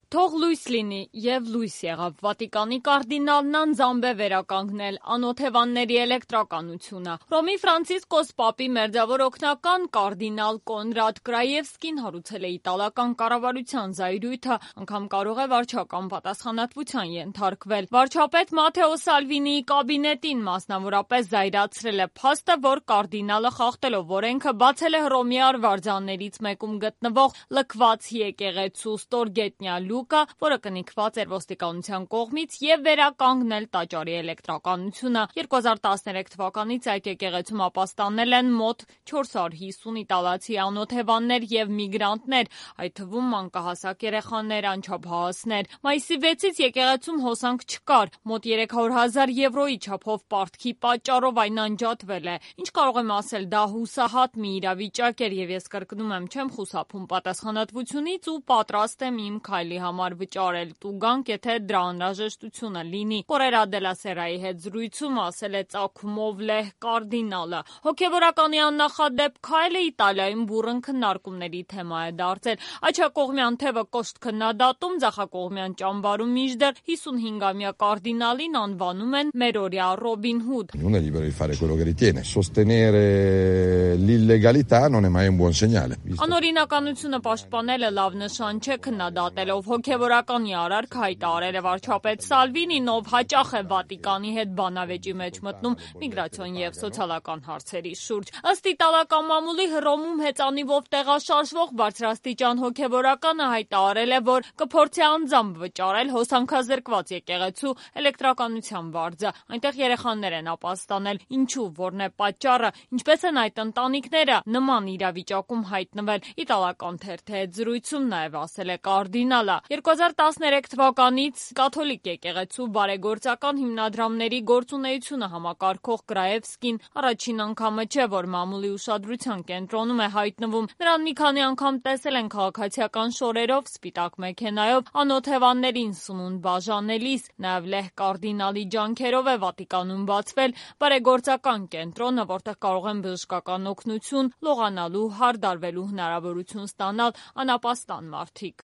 Թող լույս լինի և լույս եղավ, Վատիկանի կարդինալն անձամբ է վերականգնել անօթևանների էլեկտրականությունը։ Հռոմի Ֆրանցիսկոս պապի մերձավոր օգնական կարդինալ Կոնրադ Կրաևսկին հարուցել է իտալական կառավարության զայրույթը, անգամ կարող է վարչական պատասխանատվության ենթարկվել։ Վարչապետ Մաթեո Սալվինիի կաբինետին մասնավորապես զայրացրել է փաստը, որ կարդինալը խախտելով օրենքը բացել է Հռոմի արվարձաններից մեկում գտնվող լքված եկեղեցու ստորգետնյա լուկը, որը կնքված էր ոստիկանության կողմից, և վերականգնել տաճարի էլեկտրականությունը։ 2013 թվականից այդ եկեղեցում ապաստանել են մոտ 450 իտալացի անօթևաններ և միգրանտներ, այդ թվում մանկահասակ երեխաներ, անչափահասներ։ Մայիսի 6-ից եկեղեցում հոսանք չկար, մոտ 300,000 եվրոյի չափով պարտքի պատճառով այն անջատվել է։ Ինչ կարող եմ ասել, դա հուսահատ մի իրավիճակ էր, և ես կրկնում եմ, չեմ խուսափում պատասխանատվությունից ու պատրաստ եմ իմ քայլի համար վճարել տուգանք, եթե դրա անհրաժեշտությունը լինի։ Կորերա դելա Սերայի հետ զրույցում ասել է ծագումով լեհ կարդինալը։ Հոգևորականի աննախադեպ քայլը Իտալիայում բուռն քննարկումների թեմա է դարձել։ Աջակողմյան թևը կոշտ քննադատում, ձախակողմյան ճամբարում մինչդեռ 55-ամյա կարդինալին անվանում են մերօրյա Ռոբին Հուդ։ Uno è libero di fare quello che ritiene. Sostenere l'illegalità non è mai un buon segnale. Անօրինականությունը պաշտպանելը լավ նշան չէ, քննադատելով հոգևորականի արարք հայտարարել է վարչապետ Սալվինին, ով հաճախ է Վատիկանի հետ բանավեճի մեջ մտնում միգրացիոն և սոցիալական հարցերի շուրջ։ Ըստ իտալական մամուլի, Հռոմում հեծանիվով տեղաշարժվող բարձրաստիճան հոգևորականը հայտարարել է, որ կփորձի անձամբ վճարել հոսանքազրկված եկեղեցու էլեկտրականության վարձը։ Այնտեղ երեխաներ են ապաստանել։ Ինչու, որն է պատճառը, ինչպես են այդ ընտանիքները նման իրավիճակում հայտնվել, իտալական թերթի հետ զրույցում նաև ասել է կարդինալը։ 2013 թվականից կաթոլիկ եկեղեցու բարեգործական հիմնադրամների գործունեությունը համակարգող Կրաևսկին առաջին անգամը չէ, որ մամուլի ուշադրության կենտրոնում է հայտնվում։ Նրան մի քանի անգամ տեսել են քաղաքացիական շորերով, սպիտակ մեքենայով, անօթևաններին սնունդ բաժանելիս։ Նաև լեհ կարդինալի ջանքերով է Վատիկանում բացվել բարեգործական կենտրոնը, որտեղ կարող են բժշկական օգնություն, լողանալու, հարդարվելու հնարավորություն ստանալ անապաստան մարդիկ։